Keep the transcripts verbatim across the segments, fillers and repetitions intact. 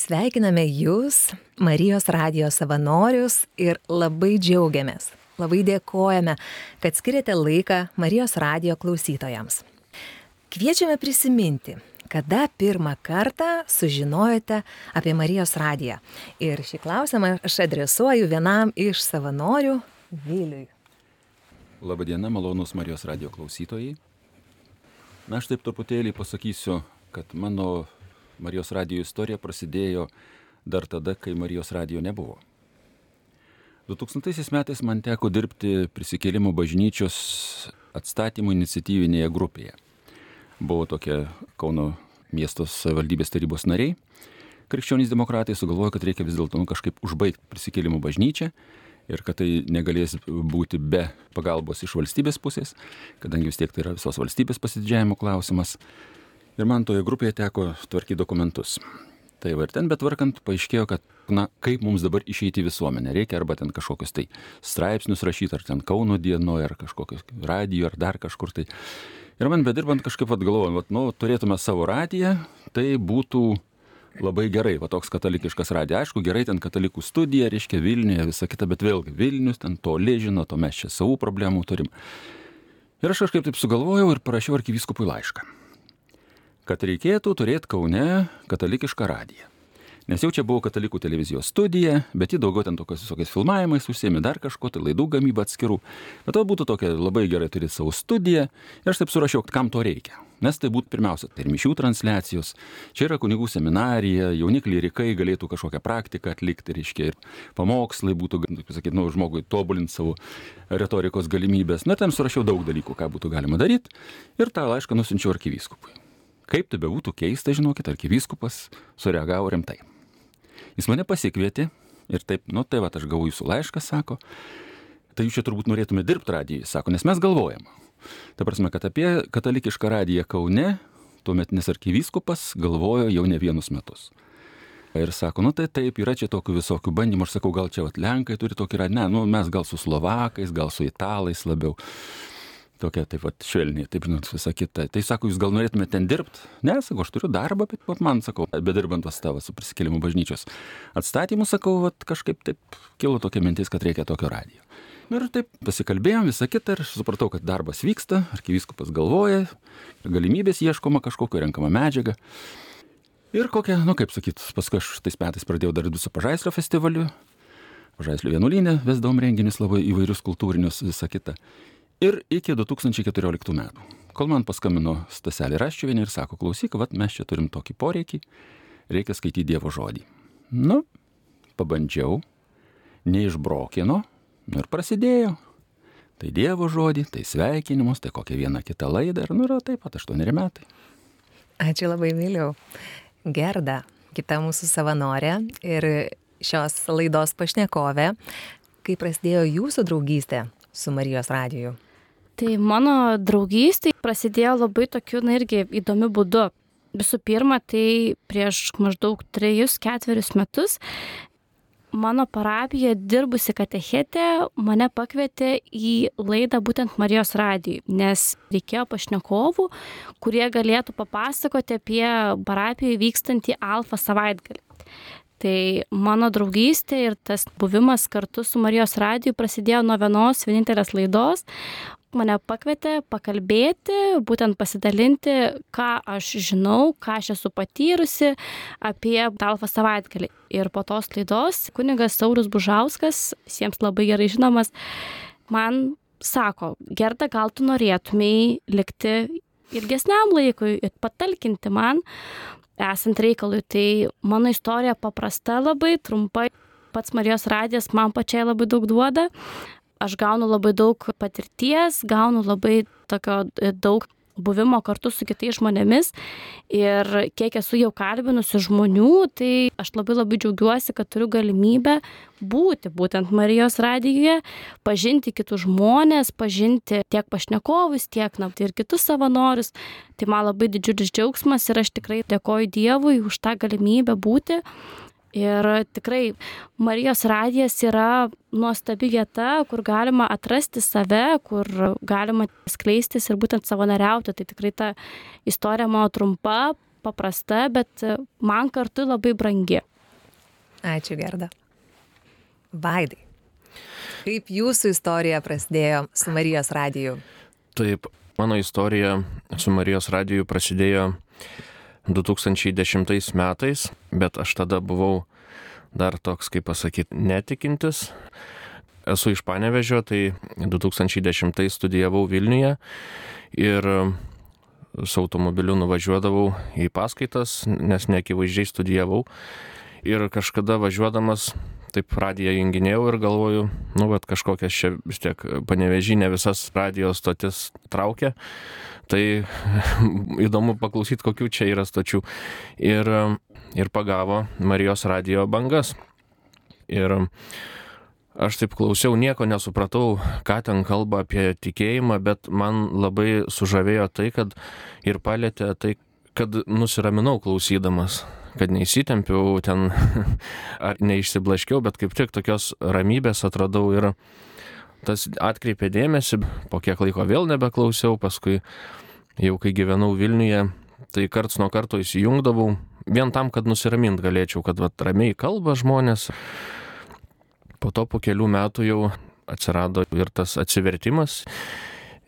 Sveikiname Jūs, Marijos radijo savanorius ir labai džiaugiamės, labai dėkojame, kad skiriate laiką Marijos radijo klausytojams. Kviečiame prisiminti, kada pirmą kartą sužinojote apie Marijos radiją. Ir šį klausimą aš adresuoju vienam iš savanorių, Viliui. Labadiena, malonus Marijos radijo klausytojai. Na, aš taip truputėlį pasakysiu, kad mano Marijos radijo istorija prasidėjo dar tada, kai Marijos radijo nebuvo. du tūkstantaisiais metais man teko dirbti Prisikėlimo bažnyčios atstatymų iniciatyvinėje grupėje. Buvo tokia Kauno miesto savivaldybės tarybos nariai. Krikščionys demokratai sugalvojo, kad reikia vis dėlto nu, kažkaip užbaigti Prisikėlimo bažnyčią ir kad tai negalės būti be pagalbos iš valstybės pusės, kadangi vis tiek tai yra visos valstybės pasididžiavimo klausimas. Ir man toje grupėje teko tvarkyti dokumentus. Tai va ir ten betvarkant paaiškėjo, kad na, kaip mums dabar išeiti į visuomenę. Reikia arba ten kažkokius tai straipsnius rašyti, ar ten Kauno dienoje, ar kažkokius radijo, ar dar kažkur tai. Ir man bedirbant kažkaip atgalvojom, nu, turėtume savo radiją, tai būtų labai gerai, va toks katalikiškas radija. Aišku, gerai ten katalikų studija, reiškia Vilniuje, visa kita, bet vėlgi Vilnius, ten toli žino, to mes čia savų problemų turim. Ir aš kažkaip taip sugalvojau ir parašiau arkivyskupui laišką, kad reikėtų turėti Kaune katalikišką radiją. Nes jau čia buvo katalikų televizijos studija, bet ji daugiau ten tokios visokiais filmavimais užsiėmė dar kažko, tai laidų gamybą atskirų. Bet to būtų tokia labai gerai turėti savo studiją. Ir aš taip surašiau, kam to reikia. Nes tai būtų pirmiausia, tai ir mišių transliacijos. Čia yra kunigų seminarija, jauni klierikai galėtų kažkokią praktiką atlikti, reiškia, ir pamokslai būtų, kaip sakyti, nu, žmogui tobulinti savo retorikos galimybės. Na, ten surašiau daug dalykų, ką būtų galima daryti. Ir tą laišką nusinčiau arkivyskupui. Kaip tai bebūtų keista, žinokit, arkivyskupas sureagavo rimtai. Jis mane pasikvietė ir taip, nu tai va, aš gavau jūsų laišką, sako, tai jūs čia turbūt norėtume dirbti radijai, sako, nes mes galvojam. Ta prasme, kad apie katalikišką radiją Kaune tuometinis arkivyskupas galvojo jau ne vienus metus. Ir sako, nu tai taip, yra čia tokių visokių bandymų, aš sakau, gal čia vat Lenkai turi tokį radiją, ne, nu mes gal su Slovakais, gal su Italais labiau. Tokia taip pat švelniai, taip žinot, visa kita. Tai sako, jūs gal norėtumėte ten dirbti? Ne, sako, aš turiu darbą, bet vat, man, sakau, bedirbant tas tavo su Prisikėlimo bažnyčios atstatymu, sakau, vat, kažkaip taip kilo tokia mintis, kad reikia tokio radijo. Ir taip pasikalbėjom visą kitą ir supratau, kad darbas vyksta, arkivyskupas galvoja, galimybės ieškoma kažkokio, renkama medžiaga. Ir kokia, nu kaip sakyt, paskui aš tais metais pradėjau dar su Pažaislio festivaliu, Pažaislio vienuolyne vesdavom renginius labai įvairius kultūrinius, visą kitą. Ir iki du tūkstančiai keturioliktų metų, kol man paskambino Staselė Raščiuvienė ir sako, klausyk, vat mes čia turim tokį poreikį, reikia skaityti Dievo žodį. Nu, pabandžiau, neišbrokino, ir prasidėjo. Tai Dievo žodį, tai sveikinimus, tai kokią vieną kitą laidą, ir nu yra taip pat aštuoneri metai. Ačiū labai, Viliau. Gerda, kita mūsų savanorė ir šios laidos pašnekovė, kai prasidėjo jūsų draugystė su Marijos radiju? Tai mano draugystė prasidėjo labai tokiu, na irgi įdomiu būdu. Visų pirma, tai prieš maždaug trejus, ketverius metus mano parapija dirbusi katechetė mane pakvietė į laidą būtent Marijos radijui, nes reikėjo pašnekovų, kurie galėtų papasakoti apie parapijoje vykstantį Alfa savaitgalį. Tai mano draugystė ir tas buvimas kartu su Marijos radiju prasidėjo nuo vienos vienintelės laidos. Mane pakvietė pakalbėti, būtent pasidalinti, ką aš žinau, ką aš esu patyrusi apie Alfa savaitgalį. Ir po tos laidos kunigas Saulius Bužauskas, visiems labai gerai žinomas, man sako, Gerda, gal tu norėtumei likti ilgesniam laikui ir patalkinti man, esant reikalui. Tai mano istorija paprasta labai, trumpai. Pats Marijos radijas man pačiai labai daug duoda. Aš gaunu labai daug patirties, gaunu labai tokio daug buvimo kartu su kitais žmonėmis. Ir kiek esu jau kalbinusi žmonių, tai aš labai labai džiaugiuosi, kad turiu galimybę būti būtent Marijos radijuje, pažinti kitus žmonės, pažinti tiek pašnekovus, tiek na, ir kitus savanorius. Tai man labai didžiulis džiaugsmas ir aš tikrai dėkoju Dievui už tą galimybę būti. Ir tikrai Marijos radijas yra nuostabi vieta, kur galima atrasti save, kur galima skleistis ir būtent savanoriauti. Tai tikrai ta istorija mano trumpa, paprasta, bet man kartu labai brangi. Ačiū, Gerda. Vaidai, kaip jūsų istorija prasidėjo su Marijos radiju? Taip, mano istorija su Marijos radiju prasidėjo du tūkstančiai dešimtais metais, bet aš tada buvau dar toks, kaip pasakyti, netikintis. Esu iš Panevėžio, tai du tūkstančiai dešimtais studijavau Vilniuje ir su automobiliu nuvažiuodavau į paskaitas, nes neakivaizdžiai studijavau. Ir kažkada važiuodamas taip radiją junginėjau ir galvoju, nu, bet kažkokias čia vis tiek Panevėžy ne visas radijos stotis traukia. Tai įdomu paklausyti, kokių čia yra stočių. Ir, ir pagavo Marijos radijo bangas. Ir aš taip klausiau, nieko nesupratau, ką ten kalba apie tikėjimą, bet man labai sužavėjo tai, kad ir palėtė tai, kad nusiraminau klausydamas, kad neįsitempiau ten ar neišsiblaškiau, bet kaip tik tokios ramybės atradau ir tas atkreipė dėmesį, po kiek laiko vėl nebeklausiau, paskui jau kai gyvenau Vilniuje, tai karts nuo karto įsijungdavau, vien tam, kad nusiramint galėčiau, kad vat, ramiai kalba žmonės. Po to po kelių metų jau atsirado ir tas atsivertimas,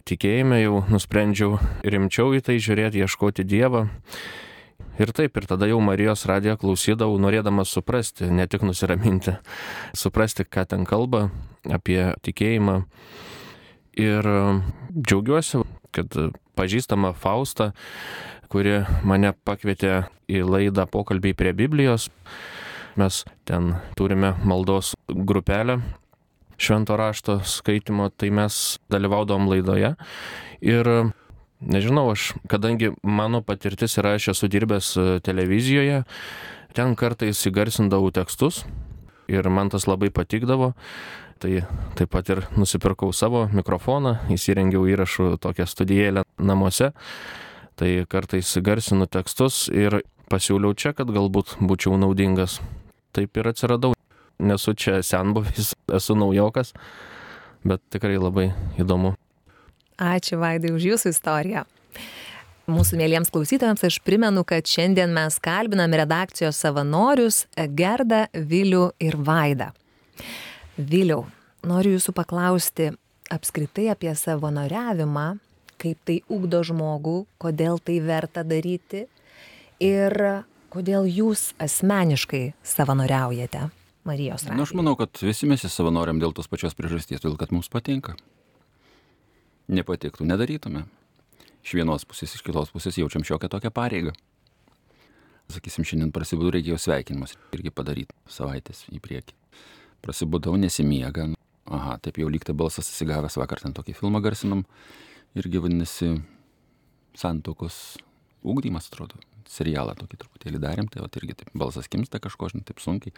tikėjime jau nusprendžiau rimčiau į tai žiūrėti, ieškoti Dievą. Ir taip, ir tada jau Marijos radiją klausydavau, norėdamas suprasti, ne tik nusiraminti, suprasti, ką ten kalba apie tikėjimą. Ir džiaugiuosi, kad pažįstama Fausta, kuri mane pakvietė į laidą Pokalbiai prie Biblijos. Mes ten turime maldos grupelę švento rašto skaitimo, tai mes dalyvaudom laidoje. Ir nežinau, aš, kadangi mano patirtis yra, aš esu dirbęs televizijoje, ten kartais įgarsindavau tekstus ir man tas labai patikdavo. Tai taip pat ir nusipirkau savo mikrofoną, įsirengiau įrašų tokią studijėlę namuose. Tai kartais garsinu tekstus ir pasiūliau čia, kad galbūt būčiau naudingas. Taip ir atsiradau. Nesu čia senbuvis, esu naujokas, bet tikrai labai įdomu. Ačiū, Vaidai, už jūsų istoriją. Mūsų mėlyjams klausytojams aš primenu, kad šiandien mes kalbinam redakcijos savanorius Gerdą, Vilių ir Vaidą. Viliau, noriu jūsų paklausti apskritai apie savanoriavimą, kaip tai ugdo žmogų, kodėl tai verta daryti ir kodėl jūs asmeniškai savanoriaujate Marijos radijuje. Na, aš manau, kad visi mes savanoriam dėl tos pačios priežasties, todėl kad mums patinka. Nepatiktų, nedarytume. Iš vienos pusės, iš kitos pusės jaučiam šiokią tokią pareigą. Sakysim, šiandien prasibudau, reikėjo sveikinimus irgi padaryti savaitės į priekį. Prasibudau, nesimiega. Aha, taip jau lygtai balsas įsigavęs, vakar ten tokį filmą garsinom. Irgi vadinasi Santuokos ugdymas, atrodo. Serialą tokį truputėlį darėm, tai vat irgi taip balsas kimsta kažko, žinai, taip sunkiai.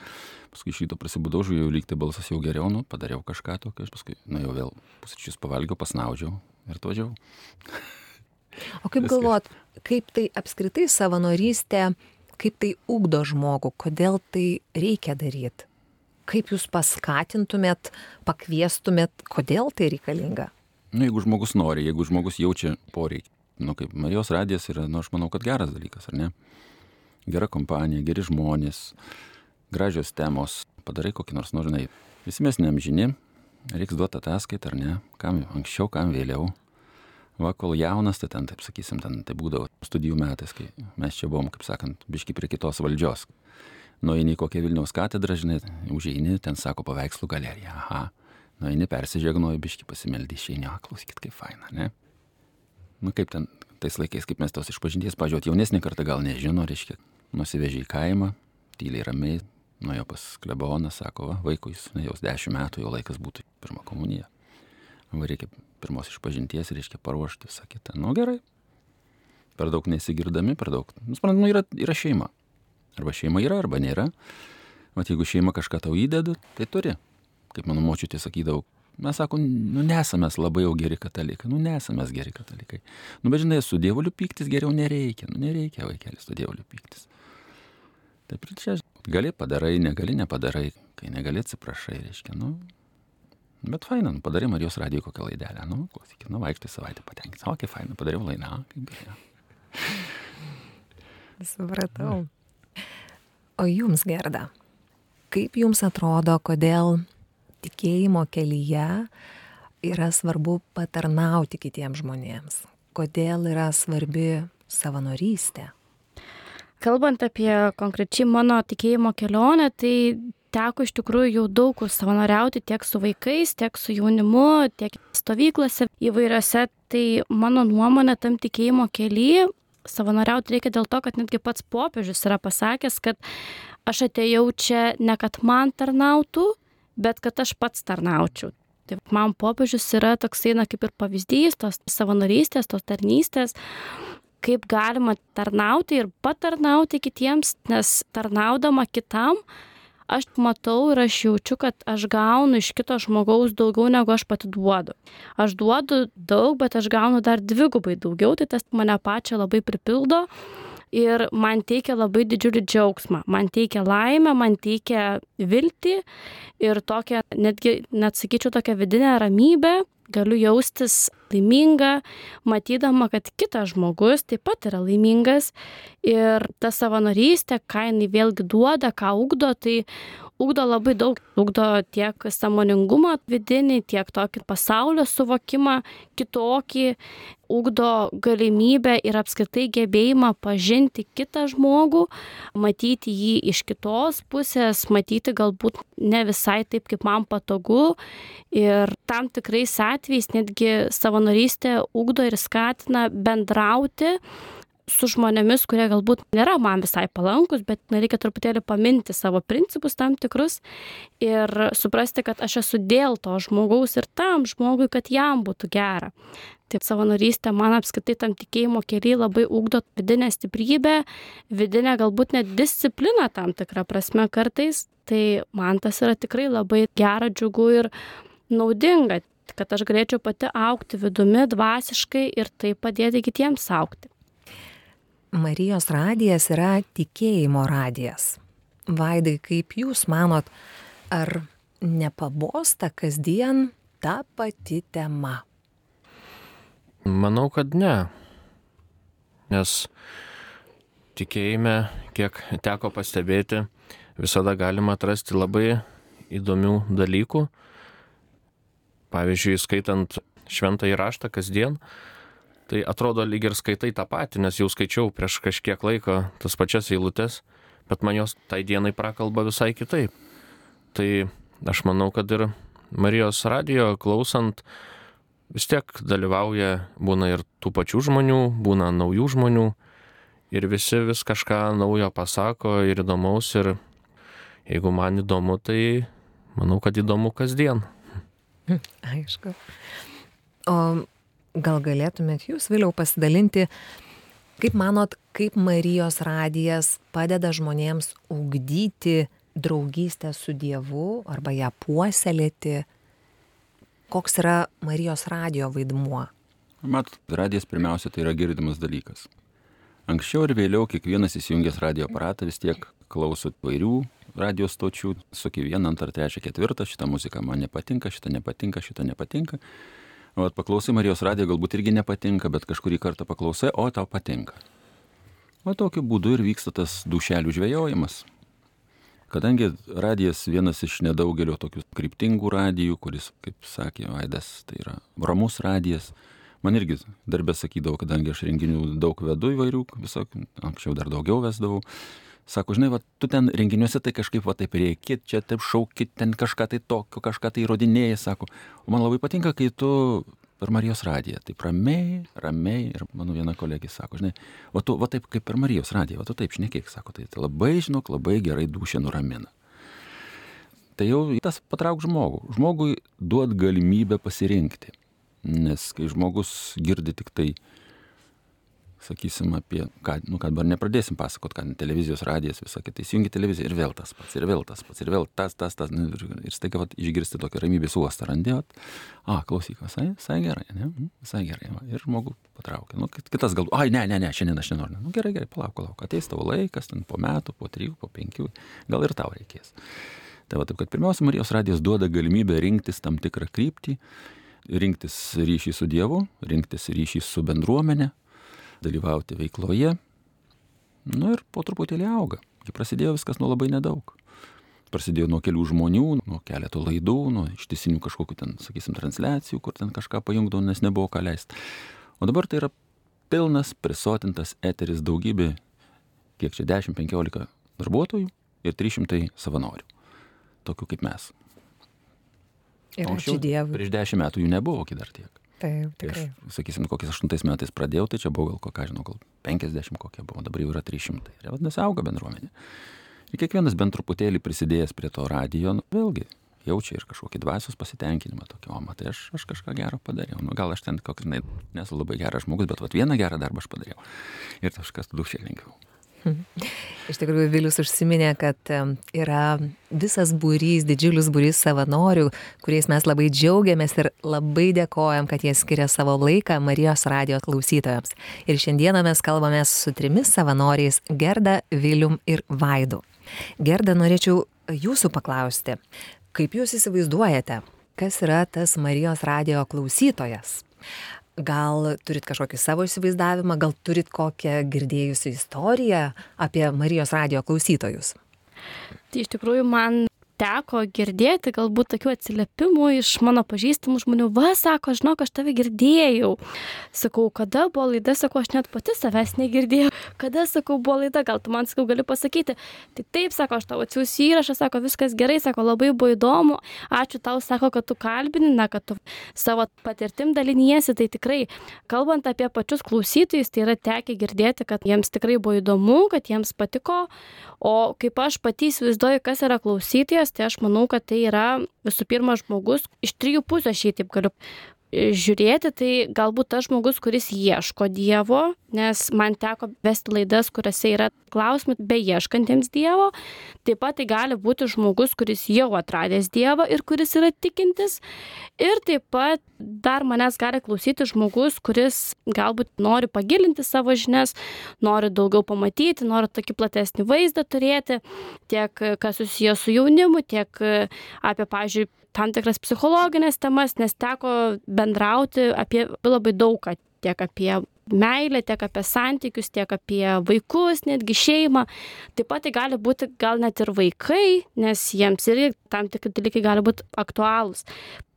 Paskui šito prasibudau, žiūrėjau, lygtai balsas jau geriau, nu, padariau kažką tokio, paskui, nu, jau vėl pusryčius pavalgiau, pasnaudžiau ir atvažiavau. O kaip galvot, kaip tai apskritai savanorystė, kaip tai ugdo žmogų, kodėl tai reikia daryti? Kaip jūs paskatintumėt, pakviestumėt, kodėl tai reikalinga? Nu, jeigu žmogus nori, jeigu žmogus jaučia poreikį. Nu, kaip Marijos radijas yra, nu, aš manau, kad geras dalykas, ar ne? Gera kompanija, geri žmonės, gražios temos, padarai kokį nors, nu, žinai, visi mes neamžini, reiks duoti ataskaitą, ar ne? Kam anksčiau, kam vėliau. Va, kol jaunas, tai ten, taip sakysim, ten tai būdavo studijų metais, kai mes čia buvom, kaip sakant, biški prie kitos valdžios. Nueini į kokią Vilniaus katedrą, žinai, užeini, ten sako paveikslų galerija, aha. Nueini, persižegnoji, biški pasimeldi, išeini, a, klausykit, kaip faina, ne? Nu, kaip ten, tais laikais, kaip mes tos išpažinties, pažiūrėt, jaunesnė karta gal nežino, reiškia, nusivežė į kaimą, tyliai ramiai, nuėjo pas kleboną, sako, va, vaikui, jau dešimt metų, jau laikas būtų pirmą komuniją. Va, reikia pirmos išpažinties, reiškia paruošti, sakyti, nu gerai. Per daug nesigirdami, per daug, nu, suprantu, nu, yra, yra šeima. Arba šeima yra, arba nėra. Vat jeigu šeima kažką tau įdeda, tai turi. Kaip mano močiutė sakydavo, mes sako, nu nesame labai jau geri katalikai, nu nesame geri katalikai. Nu bet žinai, su dievuliu pyktis geriau nereikia, nu nereikia vaikelis su dievuliu pyktis. Taip ir čia gali padarai, negali nepadarai, kai negali atsiprašai, reiškia, nu. Bet faina, nu padarai Marijos radijo kokią laidelę, nu klausykit, nu vaikštai savaitę patenkinti, o kaip faina, padariau laidą, kaip beje. Supratau. O jums, Gerda, kaip jums atrodo, kodėl tikėjimo kelyje yra svarbu patarnauti kitiems žmonėms? Kodėl yra svarbi savanorystė? Kalbant apie konkrečiai mano tikėjimo kelionę, tai teko iš tikrųjų jau daug kur savanoriauti tiek su vaikais, tiek su jaunimu, tiek stovyklose įvairiose. Tai mano nuomonė tam tikėjimo kelyje savanoriauti reikia dėl to, kad netgi pats popiežius yra pasakęs, kad aš atėjau čia ne kad man tarnautų, bet kad aš pats tarnaučiau. Tai man popiežius yra toksai, na, kaip ir pavyzdys tos savanorystės, tos tarnystės, kaip galima tarnauti ir patarnauti kitiems, nes tarnaudama kitam, aš matau ir aš jaučiu, kad aš gaunu iš kito žmogaus daugiau, negu aš pati duodu. Aš duodu daug, bet aš gaunu dar dvigubai daugiau, tai tas mane pačią labai pripildo ir man teikia labai didžiulį džiaugsmą. Man teikia laimę, man teikia viltį ir tokią, netgi, net sakyčiau, tokią vidinę ramybę. Galiu jaustis laiminga, matydama, kad kitas žmogus taip pat yra laimingas ir ta savanorystė, ką jinai vėlgi duoda, ką ugdo, tai ugdo labai daug. Ugdo tiek sąmoningumą vidinį, tiek tokį pasaulio suvokimą kitokį, ugdo galimybę ir apskritai gebėjimą pažinti kitą žmogų, matyti jį iš kitos pusės, matyti galbūt ne visai taip, kaip man patogu. Ir tam tikrais atvejais netgi savanorystė ugdo ir skatina bendrauti su žmonėmis, kurie galbūt nėra man visai palankus, bet reikia truputėlį paminti savo principus tam tikrus ir suprasti, kad aš esu dėl to žmogaus ir tam žmogui, kad jam būtų gera. Tai savanorystė man apskritai tam tikėjimo kelyje labai ugdo vidinę stiprybę, vidinę galbūt net discipliną tam tikrą prasme kartais. Tai man tas yra tikrai labai gera, džiugu ir naudinga, kad aš galėčiau pati augti vidumi dvasiškai ir taip padėti kitiems augti. Marijos radijas yra tikėjimo radijas. Vaidai, kaip jūs manot, ar nepabosta kasdien ta pati tema? Manau, kad ne. Nes tikėjime, kiek teko pastebėti, visada galima atrasti labai įdomių dalykų. Pavyzdžiui, skaitant šventąjį raštą kasdien, tai atrodo lyg ir skaitai tą patį, nes jau skaičiau prieš kažkiek laiko tas pačias eilutes, bet man jos tai dienai prakalba visai kitaip. Tai aš manau, kad ir Marijos radijo klausant vis tiek dalyvauja, būna ir tų pačių žmonių, būna naujų žmonių ir visi vis kažką naujo pasako ir įdomaus ir jeigu man įdomu, tai manau, kad įdomu kasdien. Aišku. O gal galėtumėt jūs vėliau pasidalinti, kaip manot, kaip Marijos radijas padeda žmonėms ugdyti draugystę su Dievu arba ją puoselėti? Koks yra Marijos radijo vaidmuo? Matot, radijas pirmiausia tai yra girdimas dalykas. Anksčiau ir vėliau kiekvienas įsijungęs radijo aparatą vis tiek klauso vairių radijo stočių, suki vieną, antrą, trečią, ketvirtą, šitą muziką man nepatinka, šitą nepatinka, šitą nepatinka. O paklausai Marijos radijo, galbūt irgi nepatinka, bet kažkurį kartą paklausai, o tau patinka. O tokiu būdu ir vyksta tas dušelių žvejojimas. Kadangi radijas vienas iš nedaugelio tokių kryptingų radijų, kuris, kaip sakė Vaidas, tai yra ramus radijas. Man irgi darbė sakydavo, kadangi aš renginių daug vedu įvairių, visokių, anksčiau dar daugiau vesdavau. Sako, žinai, va, tu ten renginiuose tai kažkaip va taip reikit, čia taip šaukit, ten kažką tai tokio, kažką tai įrodinėjai, sako. O man labai patinka, kai tu per Marijos radiją, taip ramiai, ramiai, ir mano viena kolegė sako, žinai, va tu va taip kaip per Marijos radiją, va tu taip šnekėk, sako, tai, tai labai, žinok, labai gerai dūšę nuramina. Tai jau tas patrauk žmogų. Žmogui duot galimybę pasirinkti, nes kai žmogus girdi tik tai, sakysim, apie, ką, nu, kad dabar nepradėsim pasakot, ką televizijos radijas, visą kitą, įsijungi televiziją ir vėl tas pats, ir vėl tas pats, ir vėl tas, tas, tas, ir, ir staiga vat, išgirsti tokį ramybės uostą randi, vat, a, klausyk, visai, visai gerai, ne, visai gerai, va, ir žmogų patraukia, nu, kitas galbūt, ai, ne, ne, ne, šiandien aš nenoriu, nu, gerai, gerai, palauk, palauk, ateis tavo laikas, ten po metų, po trijų, po penkių, gal ir tau reikės. Tai va, taip, kad pirmiausia, Marijos radijas duoda galimybę rinktis tam tikrą kryptį, rinktis ryšį su Dievu, rinktis ryšį su bendruomenė, dalyvauti veikloje, nu ir po truputėlį auga. Kai prasidėjo viskas nuo labai nedaug. prasidėjo nuo kelių žmonių, nuo keletų laidų, nuo ištisinių kažkokių ten, sakysim, transliacijų, kur ten kažką pajungdavo, nes nebuvo ką leisti. O dabar tai yra pilnas, prisotintas eteris, daugybė, kiek čia dešimt penkiolika darbuotojų ir trys šimtai savanorių, tokių kaip mes. Ir anksčiau, ačiū Dievui. prieš dešimt metų jų nebuvo dar tiek. Taip, tikrai. Aš, sakysim, kokiais aštuntais metais pradėjau, tai čia buvo gal, ką žinau, gal penkiasdešimt kokie buvo, dabar jau yra trys šimtai. Ir vadinasi, auga bendruomenė. Ir kiekvienas bent truputėlį prisidėjęs prie to radijo, nu, vėlgi, jaučia ir kažkokį dvasios pasitenkinimą tokį, o matai, aš, aš kažką gero padariau. Nu, gal aš ten kokį, ne, nesu labai geras žmogus, bet vat, vieną gerą darbą aš padariau. Ir kažkas tada šiek lengviau. Iš tikrųjų, Vilius užsiminė, kad yra visas būrys, didžiulis būrys savanorių, kuriais mes labai džiaugiamės ir labai dėkojam, kad jie skiria savo laiką Marijos radijo klausytojams. Ir šiandieną mes kalbame su trimis savanoriais - Gerda, Vilium ir Vaidu. Gerda, norėčiau jūsų paklausti, kaip jūs įsivaizduojate, kas yra tas Marijos radijo klausytojas? Gal turit kažkokį savo įsivaizdavimą, gal turit kokią girdėjusią istoriją apie Marijos radijo klausytojus? Tai iš tikrųjų man teko girdėti galbūt tokių atsiliepimų iš mano pažįstamų žmonių. Va, sako, žinok, aš tave girdėjau. Sakau, kada buvo laida, sakau, aš net pati savęs negirdėjau. Kada, sakau, buvo laida, gal tu man, sakau, gali pasakyti. Tai taip, sako, aš tau atsiųsiu įrašą, sako, viskas gerai, sako, labai buvo įdomu. Ačiū tau, sako, kad tu kalbini, na, kad tu savo patirtim daliniesi. Tai tikrai, kalbant apie pačius klausytojus, tai yra tekę girdėti, kad jiems tikrai buvo įdomu, kad jiems patiko. O kaip aš pati įsivaizduoju, kas yra klausytojas, tai aš manau, kad tai yra visų pirma žmogus, iš trijų pusių aš jį taip galiu žiūrėti, tai galbūt tas žmogus, kuris ieško Dievo, nes man teko vesti laidas, kuriuose yra klausimai beieškantiems Dievo. Taip pat tai gali būti žmogus, kuris jau atradęs Dievą ir kuris yra tikintis. Ir taip pat dar manęs gali klausyti žmogus, kuris galbūt nori pagilinti savo žinias, nori daugiau pamatyti, nori tokį platesnį vaizdą turėti, tiek kas susijęs su jaunimu, tiek apie, pavyzdžiui, tam tikras psichologinės temas, nes teko bendrauti apie labai daug, tiek apie meilę, tiek apie santykius, tiek apie vaikus, netgi šeimą. Taip pat tai gali būti gal net ir vaikai, nes jiems irgi tam tikri dalykai gali būti aktualūs.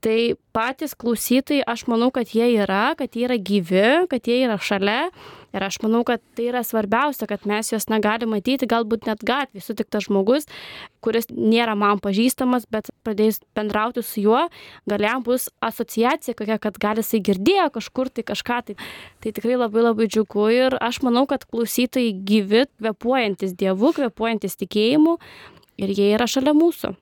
Tai patys klausytojai, aš manau, kad jie yra, kad jie yra gyvi, kad jie yra šalia. Ir aš manau, kad tai yra svarbiausia, kad mes juos negali matyti, galbūt net gatvėje sutiktas žmogus, kuris nėra man pažįstamas, bet pradėjus bendrauti su juo, gal jam bus asociacija kokia, kad gal jisai girdėjo kažkur tai kažką. Tai, tai tikrai labai labai džiugu ir aš manau, kad klausytojai gyvi, kvėpuojantis Dievu, kvėpuojantis tikėjimu ir jie yra šalia mūsų.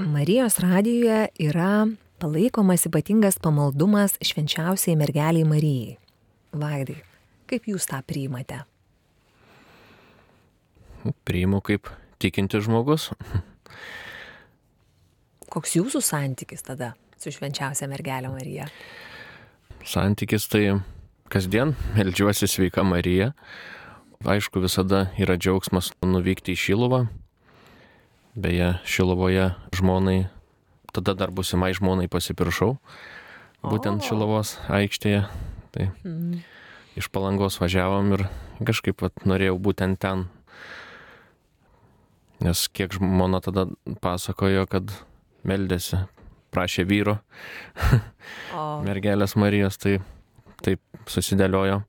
Marijos radijoje yra palaikomas ypatingas pamaldumas švenčiausiai mergeliai Marijai. Vaidai, kaip jūs tą priimate? Priimu kaip tikintis žmogus. Koks jūsų santykis tada su švenčiausia mergelė Marija? Santykis tai kasdien meldžiuosi sveika Marija. Aišku, visada yra džiaugsmas nuvykti į Šiluvą. Beje, Šiluvoje žmonai, tada dar būsimai žmonai pasipiršau, būtent o. Šiluvos aikštėje. Tai mm. iš Palangos važiavom ir kažkaip vat, norėjau būtent ten. Nes kiek žmona tada pasakojo, kad meldėsi, prašė vyro, mergelės Marijos, tai taip susidėliojo.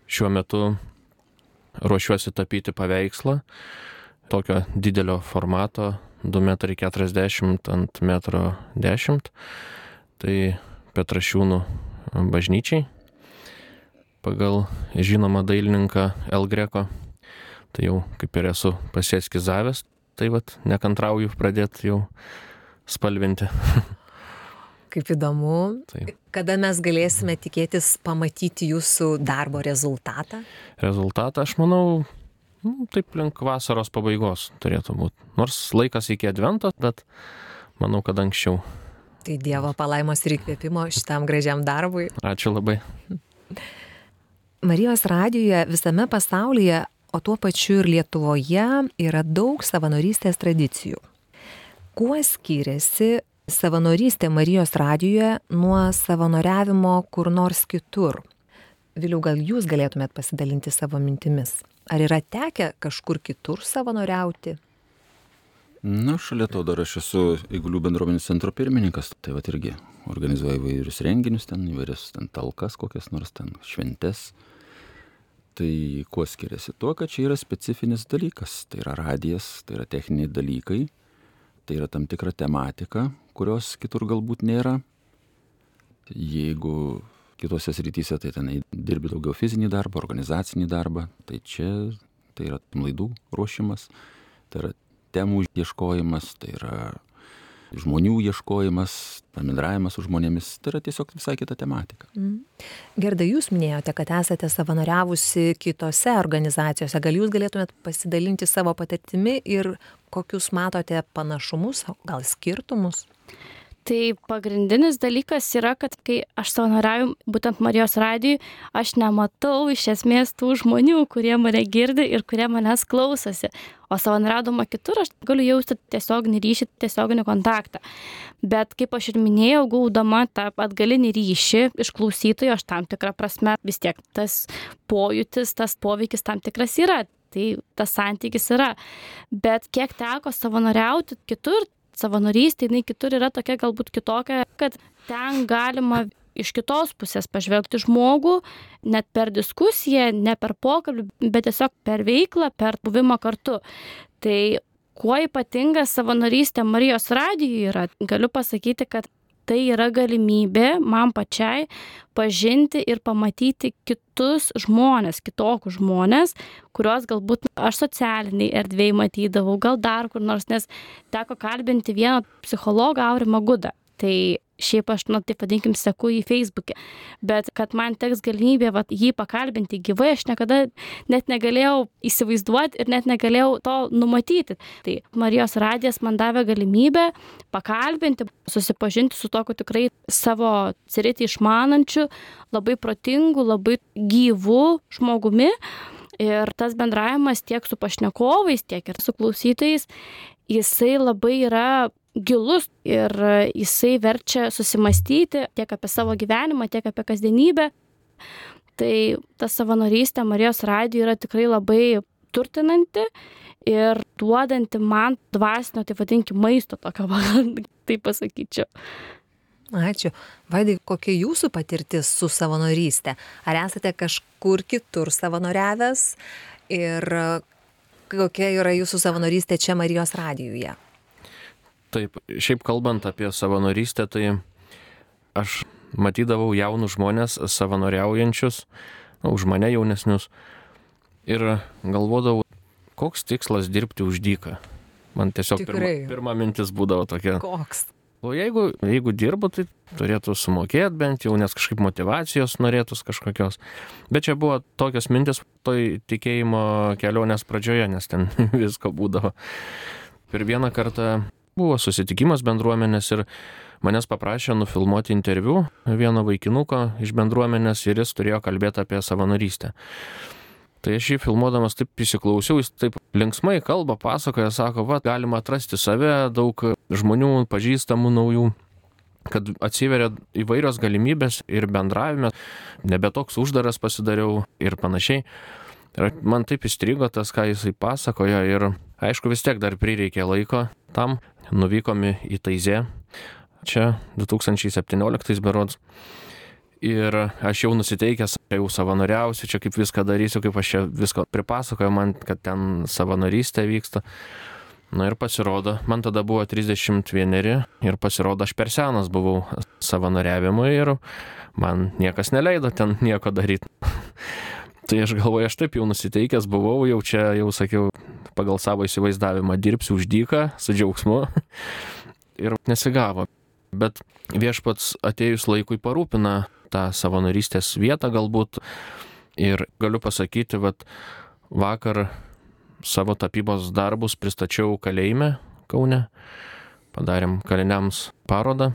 Šiuo metu ruošiuosi tapyti paveikslą, tokio didelio formato, du metrai keturiasdešimt ant metro dešimt, tai Petrašiūnų bažnyčiai, pagal žinomą dailininką El Greco, tai jau kaip ir esu pasieskizavęs, tai vat nekantrauju pradėti jau spalvinti. Kaip įdomu. Taip. Kada mes galėsime tikėtis pamatyti jūsų darbo rezultatą? Rezultatą, aš manau, taip link vasaros pabaigos turėtų būti. Nors laikas iki advento, bet manau, kad anksčiau. Tai Dievo palaimos ir įkvėpimo šitam gražiam darbui. Ačiū labai. Marijos radijoje visame pasaulyje, o tuo pačiu ir Lietuvoje, yra daug savanorystės tradicijų. Kuo skiriasi savanorystė Marijos radijoje nuo savanoriavimo kur nors kitur? Viliau, gal jūs galėtumėt pasidalinti savo mintimis? Ar yra tekę kažkur kitur savanoriauti? Na, šalia to dar aš esu Eigulių bendruomenės centro pirmininkas, tai va irgi organizuoju įvairius renginius ten, įvairias ten talkas, kokias nors ten šventes. Tai kuo skiriasi? Tuo, kad čia yra specifinis dalykas, tai yra radijas, tai yra techniniai dalykai, tai yra tam tikra tematika, kurios kitur galbūt nėra. Jeigu kitose srityse, tai ten dirbi daugiau fizinį darbą, organizacinį darbą, tai čia tai yra laidų ruošimas, tai yra temų ieškojimas, tai yra žmonių ieškojimas, bendravimas su žmonėmis, tai yra tiesiog visai kita tematika. Mm. Gerda, jūs minėjote, kad esate savanoriavusi kitose organizacijose. Gal jūs galėtumėt pasidalinti savo patirtimi ir kokius matote panašumus, gal skirtumus? Tai pagrindinis dalykas yra, kad kai aš savanoriauju būtent Marijos radijui, aš nematau iš esmės tų žmonių, kurie mane girdi ir kurie manęs klausosi. O savanoriaudama kitur aš galiu jausti tiesioginį ryšį, tiesioginį kontaktą. Bet kaip aš ir minėjau, gaudama tą atgalinį ryšį iš klausytojų, aš tam tikrą prasme vis tiek tas pojūtis, tas poveikis tam tikras yra. Tai tas santykis yra. Bet kiek teko savanoriauti kitur, savanorystė, jinai kitur yra tokia galbūt kitokia, kad ten galima iš kitos pusės pažvelgti žmogų, net per diskusiją, ne per pokalbį, bet tiesiog per veiklą, per buvimą kartu. Tai kuo ypatinga savanorystė Marijos radijui yra, galiu pasakyti, kad tai yra galimybė man pačiai pažinti ir pamatyti kitus žmonės, kitokius žmonės, kuriuos galbūt aš socialiniai erdvėj matydavau, gal dar kur nors, nes teko kalbinti vieną psichologą Aurimą Gudą. Tai šiaip aš, nu, taip vadinkim, seku į Facebook'e, bet kad man teks galimybė vat, jį pakalbinti gyvai, aš niekada net negalėjau įsivaizduoti ir net negalėjau to numatyti. Tai Marijos radijas man davė galimybę pakalbinti, susipažinti su tokiu tikrai savo sritį išmanančiu, labai protingu, labai gyvu žmogumi. Ir tas bendravimas tiek su pašnekovais, tiek ir su klausytojais, jisai labai yra gilus ir jisai verčia susimastyti tiek apie savo gyvenimą, tiek apie kasdienybę. Tai ta savanorystė Marijos radijui yra tikrai labai turtinanti ir duodanti man dvasinio, tai vadinkim, maisto tokio, taip pasakyčiau. Ačiū. Vaidai, kokia jūsų patirtis su savanorystė? Ar esate kažkur kitur savanoriavęs ir kokia yra jūsų savanorystė čia Marijos radijuje? Taip, šiaip kalbant apie savanorystę, tai aš matydavau jaunus žmonės savanoriaujančius, na, už mane jaunesnius, ir galvodavau, koks tikslas dirbti už dyką. Man tiesiog pirma, pirma mintis būdavo tokia. Koks? O jeigu, jeigu dirbu, tai turėtų sumokėti bent jau, nes kažkaip motyvacijos norėtus kažkokios. Bet čia buvo tokios mintis toj tikėjimo kelionės pradžioje, nes ten visko būdavo. Per vieną kartą buvo susitikimas bendruomenės ir manęs paprašė nufilmuoti interviu vieno vaikinuko iš bendruomenės ir jis turėjo kalbėti apie savanorystę. Tai aš jį filmuodamas taip įsiklausiau, jis taip linksmai kalba, pasakoja, sako, va, galima atrasti save, daug žmonių, pažįstamų naujų, kad atsiveria įvairios galimybės ir bendravime, nebe toks uždaras pasidariau ir panašiai. Ir man taip įstrigo tas, ką jisai pasakojo ir aišku vis tiek dar prireikė laiko tam. Nuvykome į Taizė, čia du tūkstančiai septynioliktais berods. Ir aš jau nusiteikęs, jau savanoriausiu, čia kaip viską darysiu, kaip aš čia visko pripasakoju man, kad ten savanorystė vyksta. Na ir pasirodo, man tada buvo trisdešimt vieneri ir pasirodo, aš per senas buvau savanoriavimui ir man niekas neleido ten nieko daryti. Tai aš galvoju, aš taip jau nusiteikęs buvau, jau čia, jau sakiau, pagal savo įsivaizdavimą dirbsiu už dyką, su džiaugsmu ir nesigavo. Bet viešpats atėjus laikui parūpina tą savanorystės vietą galbūt ir galiu pasakyti, vat vakar savo tapybos darbus pristačiau kalėjime Kaune, padarėm kaliniams parodą,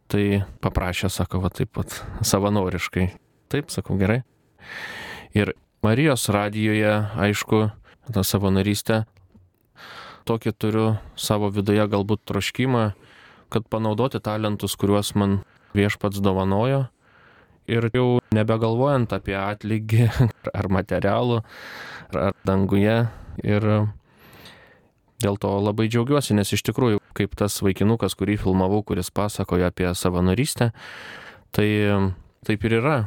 tai paprašė, sako, va taip pat savanoriškai. Taip, sakau, gerai. Ir Marijos radijuje, aišku, tą savanorystę, tokį turiu savo viduje galbūt troškimą, kad panaudoti talentus, kuriuos man viešpats dovanojo Ir jau nebegalvojant apie atlygį ar materialų, ar danguje. Ir dėl to labai džiaugiuosi, nes iš tikrųjų, kaip tas vaikinukas, kurį filmavau, kuris pasakojo apie savanorystę, tai taip ir yra.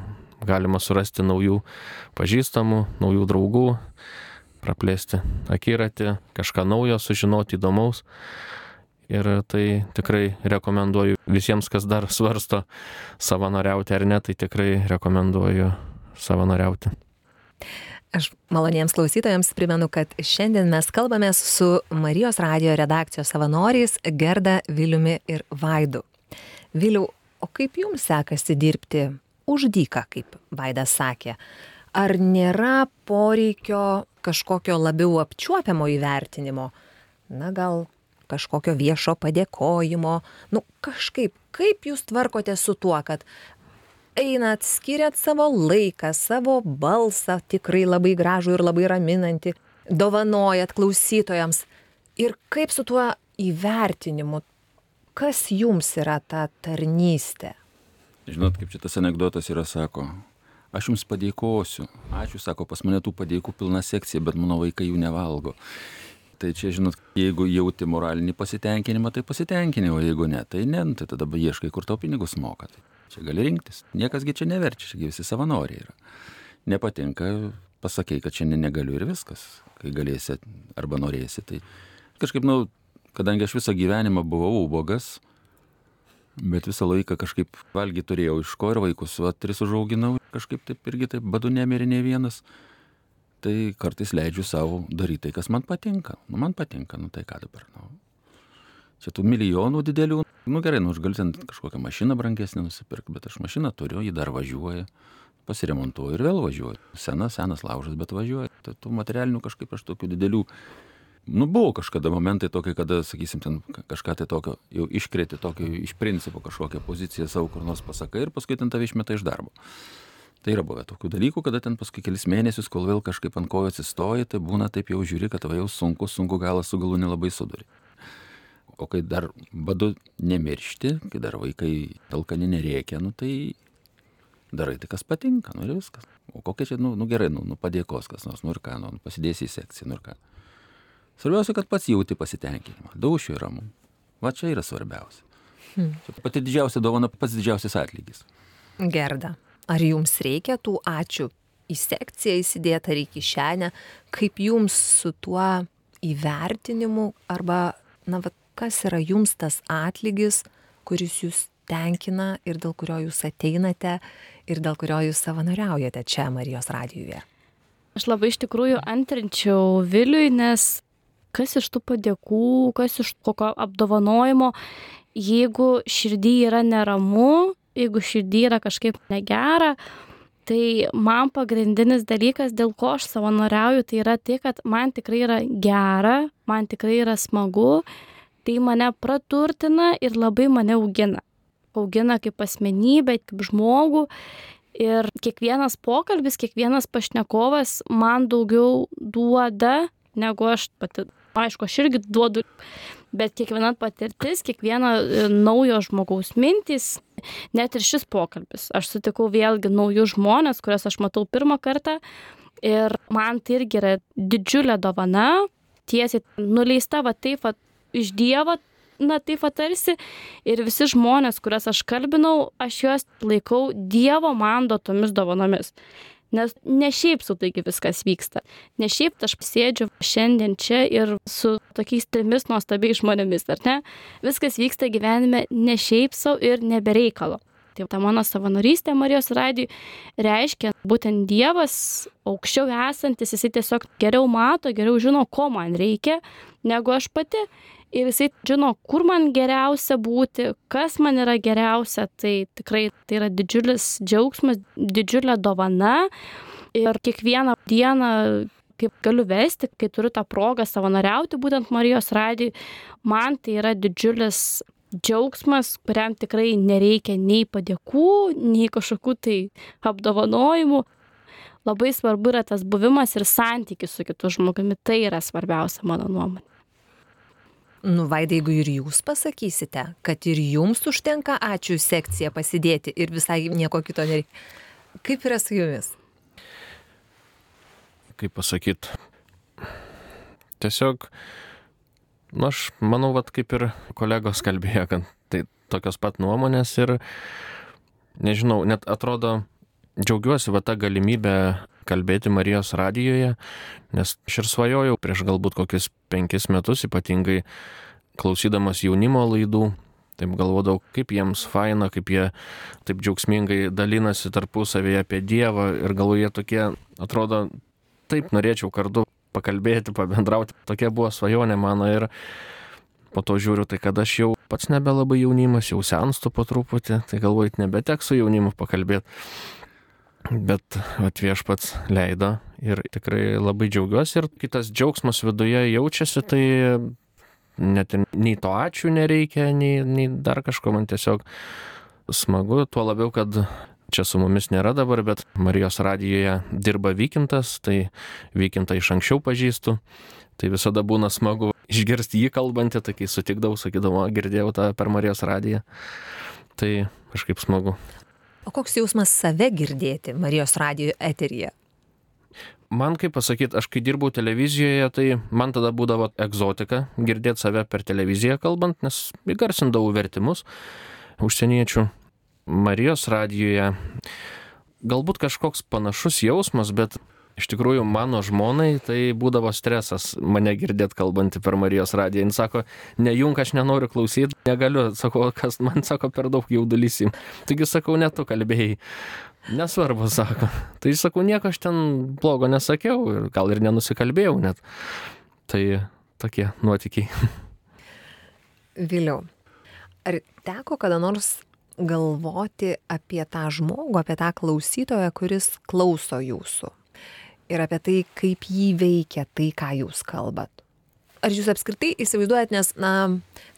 Galima surasti naujų pažįstamų, naujų draugų, praplėsti akiratį, kažką naujo sužinoti įdomaus. Ir tai tikrai rekomenduoju visiems, kas dar svarsto savanoriauti ar ne, tai tikrai rekomenduoju savanoriauti. Aš maloniems klausytojams primenu, kad šiandien mes kalbamės su Marijos radijo redakcijos savanoriais Gerda, Viliumi ir Vaidu. Viliau, o kaip jums sekasi dirbti už dyką, kaip Vaidas sakė? Ar nėra poreikio kažkokio labiau apčiuopiamo įvertinimo? Na, gal kažkokio viešo padėkojimo? Nu, kažkaip, kaip jūs tvarkote su tuo, kad einat, skiriat savo laiką, savo balsą, tikrai labai gražų ir labai raminantį, dovanojat klausytojams. Ir kaip su tuo įvertinimu? Kas jums yra ta tarnystė? Žinot, kaip šitas anekdotas yra, sako, aš jums padėkosiu. Ačiū, sako, pas mane tų padėkų pilna sekcija, bet mano vaikai jų nevalgo. Tai čia, žinot, jeigu jauti moralinį pasitenkinimą, tai pasitenkinimą, o jeigu ne, tai ne, tai tada ieškai, kur tau pinigus moka. Tai čia gali rinktis. Niekasgi čia neverčia, čia visi savanoriai yra. Nepatinka, pasakai, kad šiandien negaliu ir viskas. Kai galėsi arba norėsi, tai kažkaip, nu, kadangi aš visą gyvenimą buvau ubogas, bet visą laiką kažkaip valgyti turėjau iš ko ir vaikus, va, tris užauginau, kažkaip taip irgi taip badu nemirė ne vienas. Tai kartais leidžiu savo daryti tai, kas man patinka. Nu, man patinka, nu tai ką dabar. Nu. Čia tų milijonų didelių, nu gerai, nu aš galiu ten kažkokią mašiną brangesnę nusipirkti, bet aš mašiną turiu, jį dar važiuoja, pasiremontuoju ir vėl važiuoju. Senas, senas laužas, bet važiuoju. Tai tų materialinių kažkaip aš tokių didelių, nu buvo kažkada momentai tokie, kada, sakysim, ten kažką tai tokio, jau iškrėti tokio iš principo kažkokią poziciją savo kur nors pasakai ir paskui ten tave išmeta iš darbo. Tai yra buvę tokių dalykų, kada ten paskui kelis mėnesius, kol vėl kažkaip ant kojų atsistoji, tai būna taip jau žiūri, kad tave jau sunku, sunku galą su galu nelabai suduri. O kai dar badu nemiršti, kai dar vaikai alkani nerėkia, nu tai darai tai, kas patinka, nu ir viskas. O kokia čia, nu, nu gerai, nu, nu padėkos kas nors, nu ir ką, nu pasidėsi į sekciją, nu ir ką. Svarbiausia, kad pats jauti pasitenkinimą, daušiu ir ramu. Va čia yra svarbiausia. Hmm. Čia pati didžiausia dovana, pats didžiausias atlygis. Gerda. Ar jums reikia tų ačiū į sekciją įsidėti ar į kišenę? Kaip jums su tuo įvertinimu arba, na, va, kas yra jums tas atlygis, kuris jūs tenkina ir dėl kurio jūs ateinate ir dėl kurio jūs savanoriaujate čia Marijos radijuje? Aš labai iš tikrųjų antrinčiau Viliui, nes kas iš tų padėkų, kas iš kokio apdovanojimo, jeigu širdį yra neramu, jeigu širdį yra kažkaip negera, tai man pagrindinis dalykas, dėl ko aš savanoriauju, tai yra tai, kad man tikrai yra gera, man tikrai yra smagu, tai mane praturtina ir labai mane augina. Augina kaip asmenybę, kaip žmogų ir kiekvienas pokalbis, kiekvienas pašnekovas man daugiau duoda, negu aš pati. Aišku, aš irgi duodu, bet kiekviena patirtis, kiekviena naujo žmogaus mintys, net ir šis pokalbis. Aš sutikau vėlgi naujus žmonės, kurias aš matau pirmą kartą ir man tai irgi yra didžiulė dovana, tiesiai nuleista va taip va iš Dievo, na taip va tarsi, ir visi žmonės, kurias aš kalbinau, aš juos laikau Dievo man duotomis dovanomis. Nes ne šiaip su taigi viskas vyksta. Ne šiaip aš sėdžiu šiandien čia ir su tokiais trimis nuostabiais žmonėmis, ar ne? Viskas vyksta gyvenime ne šiaip sau ir nebereikalo. Tai ta mano savanorystė Marijos radijui reiškia būtent Dievas, aukščiau esantis, jisai tiesiog geriau mato, geriau žino, ko man reikia, negu aš pati. Ir jisai žino, kur man geriausia būti, kas man yra geriausia, tai tikrai tai yra didžiulis džiaugsmas, didžiulė dovana. Ir kiekvieną dieną, kaip galiu vesti, kai turiu tą progą savanoriauti būtent Marijos radijui, man tai yra didžiulis džiaugsmas, kuriam tikrai nereikia nei padėkų, nei kažkokių tai apdovanojimų. Labai svarbu yra tas buvimas ir santykis su kitu žmogumi, tai yra svarbiausia mano nuomonė. Nu, Vaidai, jeigu ir jūs pasakysite, kad ir jums užtenka ačiū sekciją pasidėti ir visai nieko kito nereikia. Kaip yra su jumis? Kaip pasakyt, tiesiog, nu aš manau, vat, kaip ir kolegos kalbėjo, kad tai tokios pat nuomonės ir, nežinau, net atrodo, džiaugiuosi va tą galimybę kalbėti Marijos radijoje, nes aš ir svajojau prieš galbūt kokius penkis metus, ypatingai klausydamas jaunimo laidų, taip galvodavau, kaip jiems faina, kaip jie taip džiaugsmingai dalinasi tarpusavėje apie Dievą ir galvoje tokie, atrodo, taip norėčiau kartu pakalbėti, pabendrauti, tokia buvo svajonė mano ir po to žiūriu, tai kad aš jau pats nebelabai jaunimas, jau senstu po truputį, tai galvoju, nebeteks su jaunimu pakalbėti. Bet viešpats leido ir tikrai labai džiaugiuosi ir kitas džiaugsmas viduje jaučiasi, tai net ir nei to ačiū nereikia, nei, nei dar kažko, man tiesiog smagu, tuo labiau, kad čia su mumis nėra dabar, bet Marijos radijoje dirba Vykintas, tai Vykintą iš anksčiau pažįstu, tai visada būna smagu išgirsti jį kalbantį, tai kai sutikdavau, sakydavau, girdėjau tą per Marijos radiją, tai kažkaip smagu. O koks jausmas save girdėti Marijos radijo eteryje? Man, kaip pasakyti, aš kai dirbau televizijoje, tai man tada būdavo egzotika girdėti save per televiziją kalbant, nes įgarsindavau vertimus užsieniečių. Marijos radijoje galbūt kažkoks panašus jausmas, bet iš tikrųjų mano žmonai tai būdavo stresas mane girdėti kalbantį per Marijos radiją. Jis sako, nejunk, aš nenoriu klausyti, negaliu, sako, kas man sako per daug jaudulys. Taigi sakau, ne tu kalbėjai. Nesvarbu, sako. Tai sakau, nieko aš ten blogo nesakiau ir gal ir nenusikalbėjau net. Tai tokie nuotykiai. Viliau, ar teko kada nors galvoti apie tą žmogų, apie tą klausytoją, kuris klauso jūsų? Ir apie tai, kaip jį veikia tai, ką jūs kalbat. Ar jūs apskritai įsivaizduojat, nes, na,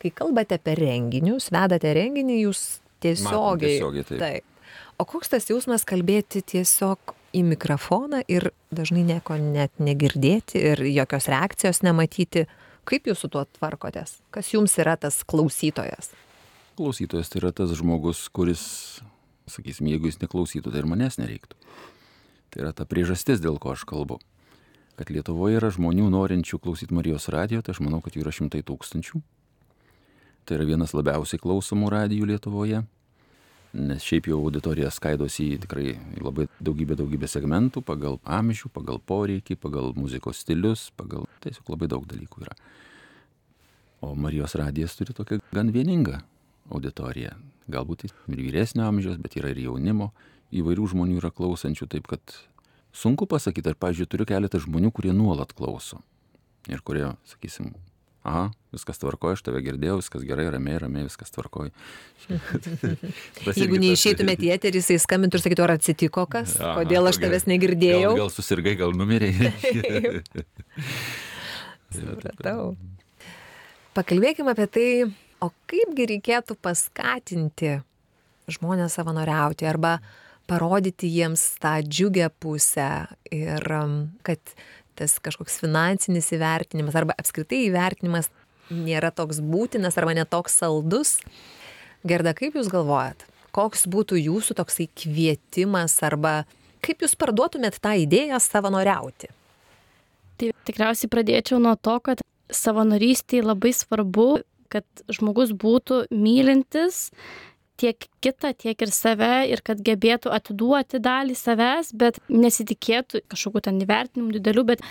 kai kalbate apie renginius, vedate renginį, jūs tiesiogiai... Matom tiesiogiai, taip. taip. O koks tas jausmas kalbėti tiesiog į mikrofoną ir dažnai nieko net negirdėti ir jokios reakcijos nematyti? Kaip jūs su tuo tvarkotės? Kas jums yra tas klausytojas? Klausytojas tai yra tas žmogus, kuris, sakysim, jeigu jis neklausytų, tai ir manęs nereiktų. Tai yra ta priežastis, dėl ko aš kalbu. Kad Lietuvoje yra žmonių norinčių klausyti Marijos radijo, tai aš manau, kad jų yra šimtai tūkstančių. Tai yra vienas labiausiai klausomų radijų Lietuvoje, nes šiaip jau auditorija skaidosi į tikrai labai daugybę, daugybę segmentų, pagal amžių, pagal poreikį, pagal muzikos stilius, pagal tiesiog labai daug dalykų yra. O Marijos radijas turi tokią gan vieningą auditoriją. Galbūt ir vyresnio amžiaus, bet yra ir jaunimo. Įvairių žmonių yra klausančių, taip kad sunku pasakyti, ar, pavyzdžiui, turiu keletą žmonių, kurie nuolat klauso. Ir kurie, sakysim, aha, viskas tvarkoja, aš tave girdėjau, viskas gerai, ramiai, ramiai, viskas tvarkoja. Jeigu neišeitumėt į eterį, jisai skambintų ir sakytų, ar atsitiko kas, aha, kodėl aš tavęs negirdėjau. Gal, gal susirgai, gal numirėjai. Supratau. Pakalbėkime apie tai, o kaipgi reikėtų paskatinti žmonės savanoriauti arba parodyti jiems tą džiugę pusę ir kad tas kažkoks finansinis įvertinimas arba apskritai įvertinimas nėra toks būtinas arba netoks saldus. Gerda, kaip jūs galvojat, koks būtų jūsų toksai kvietimas arba kaip jūs parduotumėt tą idėją savanoriauti? Tai tikriausiai pradėčiau nuo to, kad savanorystėje labai svarbu, kad žmogus būtų mylintis tiek kitą, tiek ir save ir kad gebėtų atiduoti dalį savęs, bet nesitikėtų kažkokių ten įvertinimų didelių, bet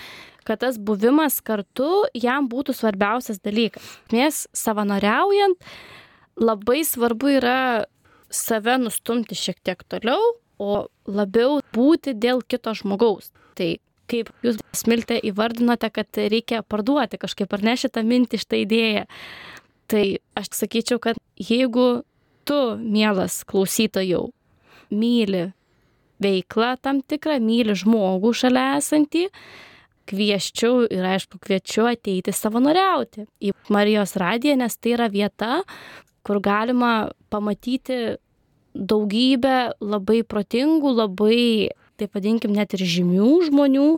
kad tas buvimas kartu jam būtų svarbiausias dalykas. Mes savanoriaujant labai svarbu yra save nustumti šiek tiek toliau, o labiau būti dėl kito žmogaus. Tai kaip jūs, Smilte, įvardinote, kad reikia parduoti kažkaip, ar ne šitą mintį, šitą idėją. Tai aš sakyčiau, kad jeigu tu, mielas klausytojau, myli veiklą tam tikrą, myli žmogų šalia esantį, kvieščiau ir aišku kviečiu ateiti savanoriauti į Marijos radiją, nes tai yra vieta, kur galima pamatyti daugybę labai protingų, labai, taip vadinkim, net ir žymių žmonių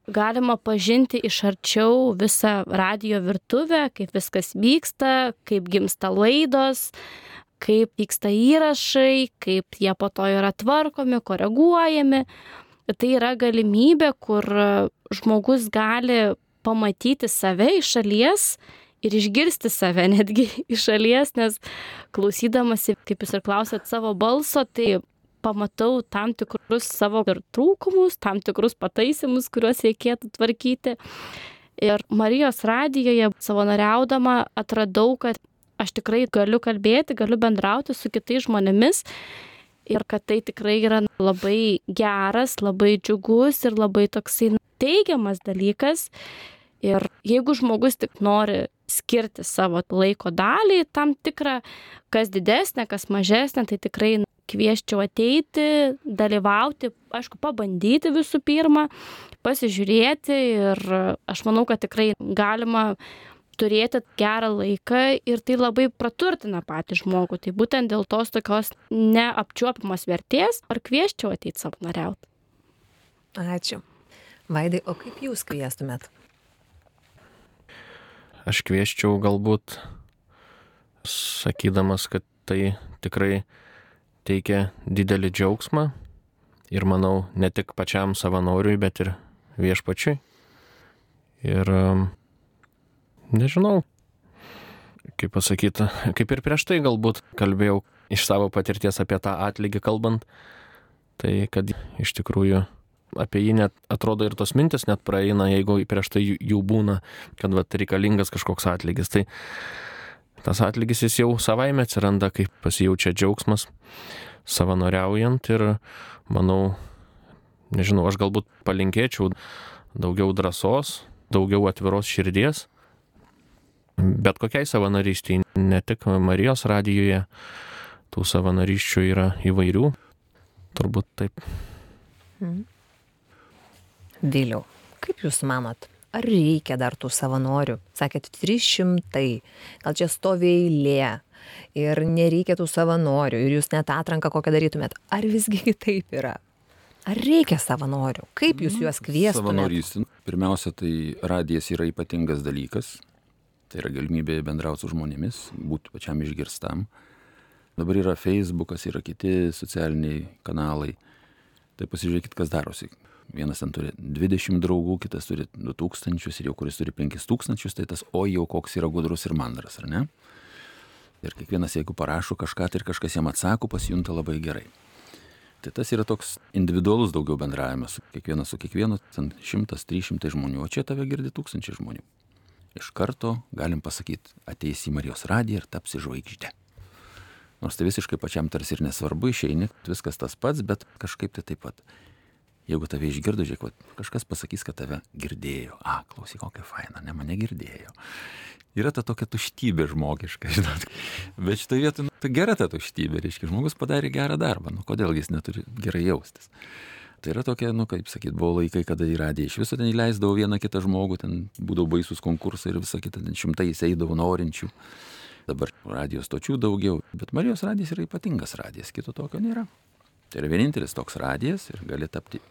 galima pažinti iš arčiau visą radijo virtuvę, kaip viskas vyksta, kaip gimsta laidos, kaip vyksta įrašai, kaip jie po to yra tvarkomi, koreguojami. Tai yra galimybė, kur žmogus gali pamatyti save iš šalies ir išgirsti save netgi iš šalies, nes klausydamasi, kaip jūs ir klausėt, savo balso, tai pamatau tam tikrus savo ir trūkumus, tam tikrus pataisymus, kuriuos reikėtų tvarkyti. Ir Marijos radijoje savanoriaudama atradau, kad aš tikrai galiu kalbėti, galiu bendrauti su kitais žmonėmis ir kad tai tikrai yra labai geras, labai džiugus ir labai toksai teigiamas dalykas. Ir jeigu žmogus tik nori skirti savo laiko dalį, tam tikrą, kas didesnė, kas mažesnė, tai tikrai kvieščiau ateiti, dalyvauti, aišku, pabandyti visų pirma, pasižiūrėti ir aš manau, kad tikrai galima turėti gerą laiką ir tai labai praturtina patį žmogų. Tai būtent dėl tos tokios neapčiuopiamos vertės ar kvieščiau ateiti savanoriauti. Ačiū. Vaidai, o kaip jūs kviestumėt? Aš kvieščiau galbūt, sakydamas, kad tai tikrai teikia didelį džiaugsmą ir manau ne tik pačiam savanoriui, bet ir viešpačiui. Ir nežinau, kaip pasakyti, kaip ir prieš tai galbūt kalbėjau iš savo patirties apie tą atlygį kalbant, tai kad iš tikrųjų apie jį net atrodo ir tos mintis net praeina, jeigu prieš tai jų būna, kad vat, reikalingas kažkoks atlygis. Tai tas atlygis jis jau savaime atsiranda, kai pasijaučia džiaugsmas savanoriaujant ir manau, nežinau, aš galbūt palinkėčiau daugiau drąsos, daugiau atviros širdies, bet kokiai savanorystiai, ne tik Marijos radijoje, tų savanoryščių yra įvairių, turbūt taip. Hmm. Viliau, kaip jūs manot, ar reikia dar tų savanorių? Sakėt, trys šimtai, gal čia stovi eilė ir nereikia tų savanorių ir jūs net atranką kokią darytumėt. Ar visgi kitaip yra? Ar reikia savanorių? Kaip jūs juos kviestumėt? Savanorystė. Pirmiausia, tai radijas yra ypatingas dalykas. Tai yra galimybė bendrauti su žmonėmis, būti pačiam išgirstam. Dabar yra Facebookas, yra kiti socialiniai kanalai. Tai pasižiūrėkit, kas darosi. Vienas ten turi dvidešimt draugų, kitas turi du tūkstančius ir jau kuris turi penkis tūkstančius, tai tas o jau koks yra gudrus ir mandras, ar ne? Ir kiekvienas, jeigu parašo kažką, tai ir kažkas jam atsako, pasijunta labai gerai. Tai tas yra toks individualus daugiau bendravimas, su kiekvienas su kiekvienu, ten šimtas, trys šimtai žmonių, o čia tave girdi tūkstančiai žmonių. Iš karto galim pasakyti, ateis į Marijos radiją ir tapsi žvaigždė. Nors tai visiškai pačiam tarsi ir nesvarbu, išeini, viskas tas pats, bet kažkaip tai taip pat. Jeigu tave išgirdo, žiūrėk, kažkas pasakys, kad tave girdėjo. A, klausyk, kokia faina, ne, mane girdėjo. Yra ta tokia tuštybė žmogiška, žinot. Bet šitoje vietoje, nu, tai gera ta tuštybė, reiškia, žmogus padarė gerą darbą, nu kodėl jis neturi gerai jaustis. Tai yra tokia, nu kaip sakyt, buvo laikai, kada į radiją iš viso ten įleisdavo vieną kitą žmogų, ten būdavo baisus konkursai ir visą kitą, ten šimtais eidavo norinčių. Dabar radijos stočių daugiau, bet Marijos radijas yra ypatingas radijas, kito tokio nėra. Tai yra vienintelis toks radijas ir gali tapti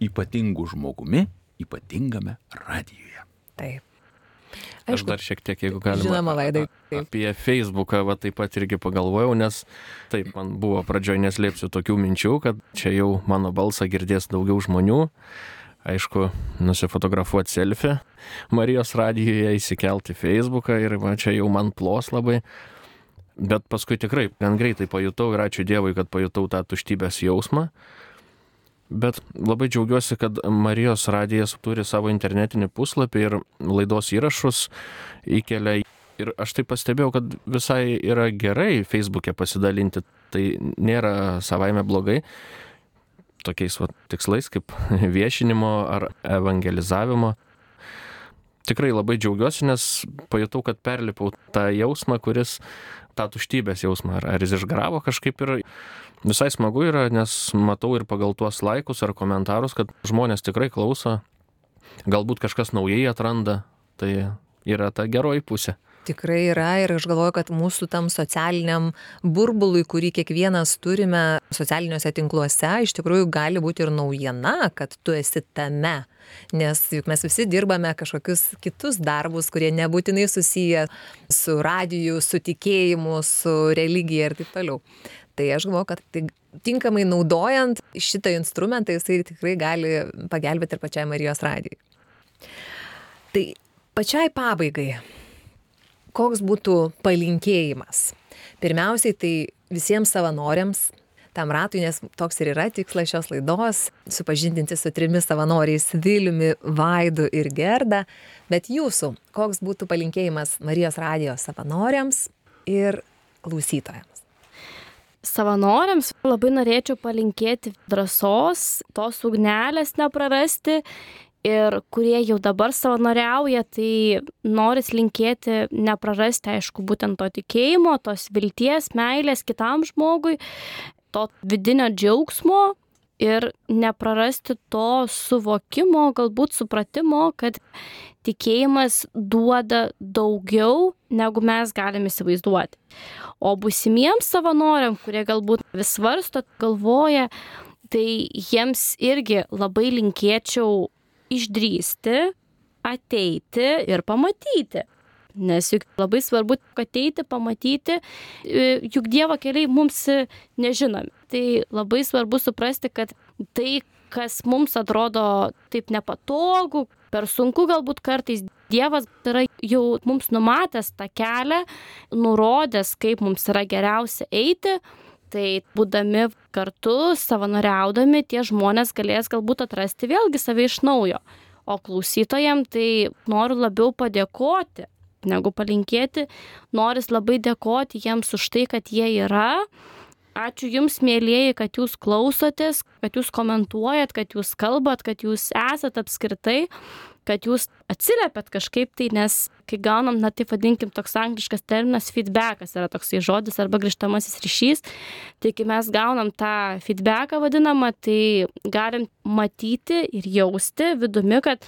ypatingų žmogumi ypatingame radijuje. Taip. Aš dar šiek tiek, jeigu galima, žinoma, Vaidai, taip. Apie Facebooką va, taip pat irgi pagalvojau, nes taip, man buvo pradžioj neslėpsiu tokių minčių, kad čia jau mano balsą girdės daugiau žmonių. Aišku, nusifotografuoti selfie Marijos radijoje, įsikelti Facebooką ir va, čia jau man plos labai. Bet paskui tikrai gan greitai pajutau ir ačiū Dievui, kad pajutau tą tuštybės jausmą. Bet labai džiaugiuosi, kad Marijos radijas turi savo internetinį puslapį ir laidos įrašus įkelia. Ir aš tai pastebėjau, kad visai yra gerai Facebook'e pasidalinti. Tai nėra savaime blogai. Tokiais va, tikslais kaip viešinimo ar evangelizavimo. Tikrai labai džiaugiuosi, nes pajutau, kad perlipau tą jausmą, kuris, tą tuštybės jausmą, ar, ar jis išgaravo kažkaip ir visai smagu yra, nes matau ir pagal tuos laikus ar komentarus, kad žmonės tikrai klauso, galbūt kažkas naujai atranda, tai yra ta geroji pusė. Tikrai yra ir aš galvoju, kad mūsų tam socialiniam burbului, kurį kiekvienas turime socialiniuose tinkluose, iš tikrųjų gali būti ir naujiena, kad tu esi tame. Nes juk mes visi dirbame kažkokius kitus darbus, kurie nebūtinai susiję su radiju, su tikėjimu, su religija ir taip toliau. Tai aš galvoju, kad tai tinkamai naudojant šitą instrumentą, jisai tikrai gali pagelbėti ir pačiai Marijos radijai. Tai pačiai pabaigai, koks būtų palinkėjimas? Pirmiausiai tai visiems savanoriams, tam ratui, nes toks ir yra tikslas šios laidos, supažindinti su trimis savanoriais Viliumi, Vaidu ir Gerda, bet jūsų, koks būtų palinkėjimas Marijos radijos savanoriams ir klausytojams? Savanoriams labai norėčiau palinkėti drąsos, tos ugnelės neprarasti. Ir kurie jau dabar savanoriauja, tai noris linkėti neprarasti, aišku, būtent to tikėjimo, tos vilties, meilės kitam žmogui, to vidinio džiaugsmo ir neprarasti to suvokimo, galbūt supratimo, kad tikėjimas duoda daugiau, negu mes galime įsivaizduoti. O būsimiems savanoriam, kurie galbūt vis svarsto, galvoja, tai jiems irgi labai linkėčiau išdrįsti, ateiti ir pamatyti. Nes juk labai svarbu ateiti, pamatyti, juk Dievo keliai mums nežinomi. Tai labai svarbu suprasti, kad tai, kas mums atrodo taip nepatogu, per sunku galbūt kartais, Dievas yra jau mums numatęs tą kelią, nurodęs, kaip mums yra geriausia eiti. Tai būdami kartu, savanoriaudami, tie žmonės galės galbūt atrasti vėlgi save iš naujo. O klausytojam tai noriu labiau padėkoti, negu palinkėti. Noris labai dėkoti jiems už tai, kad jie yra. Ačiū Jums, mėlieji, kad Jūs klausotės, kad Jūs komentuojat, kad Jūs kalbat, kad Jūs esat apskritai, kad Jūs atsiliepiat kažkaip tai, nes kai gaunam, na taip vadinkim, toks angliškas terminas feedbackas yra toksai žodis arba grįžtamasis ryšys, tai kai mes gaunam tą feedbacką vadinamą, tai galim matyti ir jausti vidumi, kad,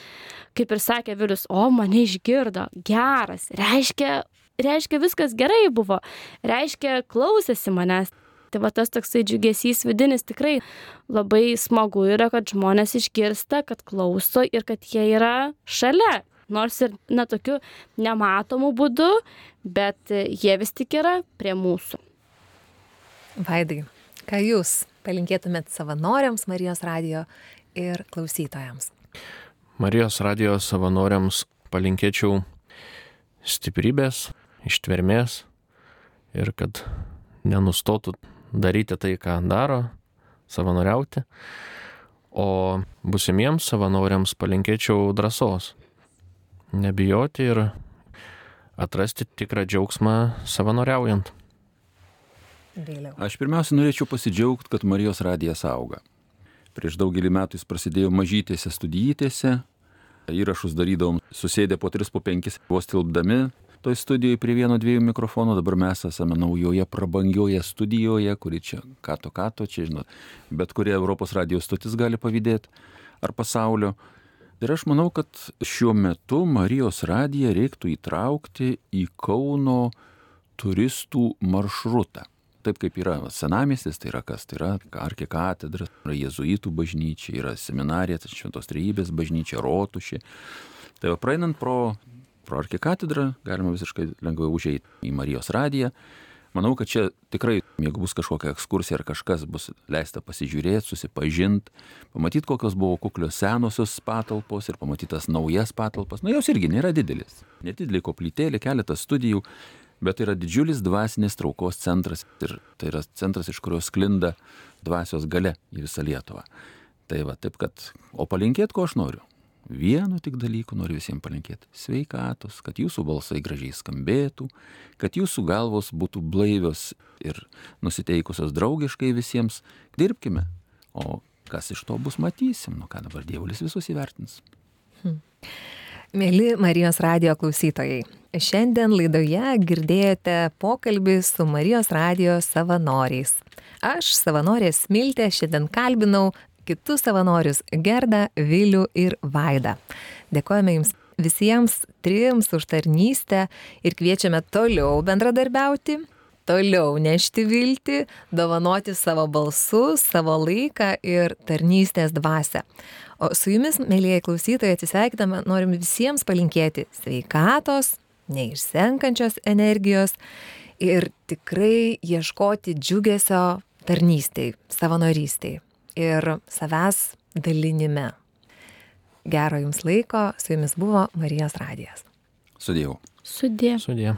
kaip ir sakė Vilius, o mane išgirdo, geras, reiškia, reiškia viskas gerai buvo, reiškia klausėsi manęs. Tai va tas toksai džiugesys vidinis tikrai labai smagu yra, kad žmonės išgirsta, kad klauso ir kad jie yra šalia. Nors ir netokiu nematomu būdu, bet jie vis tik yra prie mūsų. Vaidai, ką jūs palinkėtumėt savanoriams Marijos radijo ir klausytojams? Marijos radijo savanoriams palinkėčiau stiprybės, ištvermės ir kad nenustotų daryti tai, ką daro, savanoriauti. O būsimiems savanoriams palinkėčiau drąsos, nebijoti ir atrasti tikrą džiaugsmą savanoriaujant. Vėliau. Aš pirmiausia norėčiau pasidžiaugti, kad Marijos radijas auga. Prieš daugelį metų jis prasidėjo mažytėse studijietėse, įrašus darydavom susėdę po tris, po penkis, vos tilpdami toj studijoje prie vieno dviejų mikrofonų. Dabar mes esame naujoje prabangioje studijoje, kuri čia kato kato, čia žinot, bet kurie Europos radijos stotis gali pavydėti ar pasaulio. Ir aš manau, kad šiuo metu Marijos radiją reiktų įtraukti į Kauno turistų maršrutą. Taip kaip yra senamiestis, tai yra kas? Tai yra arkikatedra, yra jėzuitų bažnyčia, yra seminarija, Šventos Trejybės bažnyčia, rotušė. Tai va, praeinant pro, pro arkikatedrą, galima visiškai lengvai užeiti į Marijos radiją. Manau, kad čia tikrai, jeigu bus kažkokia ekskursija ar kažkas, bus leista pasižiūrėti, susipažinti, pamatyti, kokios buvo kuklios senosios patalpos ir pamatyti tas naujas patalpas. Na, jos irgi nėra didelis. Nedidelė koplytėlė, keletas studijų. Bet tai yra didžiulis dvasinės traukos centras ir tai yra centras, iš kurio sklinda dvasios galia į visą Lietuvą. Tai va, taip kad, o palinkėti, ko aš noriu? Vienu tik dalyku noriu visiems palinkėti. Sveikatos, kad jūsų balsai gražiai skambėtų, kad jūsų galvos būtų blaivios ir nusiteikusios draugiškai visiems. Dirbkime, o kas iš to bus, matysim. Nu ką dabar Dievulis visus įvertins. Hmm. Mėly Marijos radijo klausytojai, šiandien laidoje girdėjote pokalbį su Marijos radijo savanoriais. Aš, savanorė Smiltė, šiandien kalbinau kitus savanorius Gerdą, Vilių ir Vaidą. Dėkojame Jums visiems trims už tarnystę ir kviečiame toliau bendradarbiauti, toliau nešti viltį, dovanoti savo balsus, savo laiką ir tarnystės dvasią. O su jumis, mėlyjeji klausytojai, atsisveikindama, norim visiems palinkėti sveikatos, neišsenkančios energijos ir tikrai ieškoti džiugesio tarnystėj, savanorystėj ir savęs dalinime. Gero jums laiko, su jumis buvo Marijos radijas. Sudėjau. Sudė. Sudė.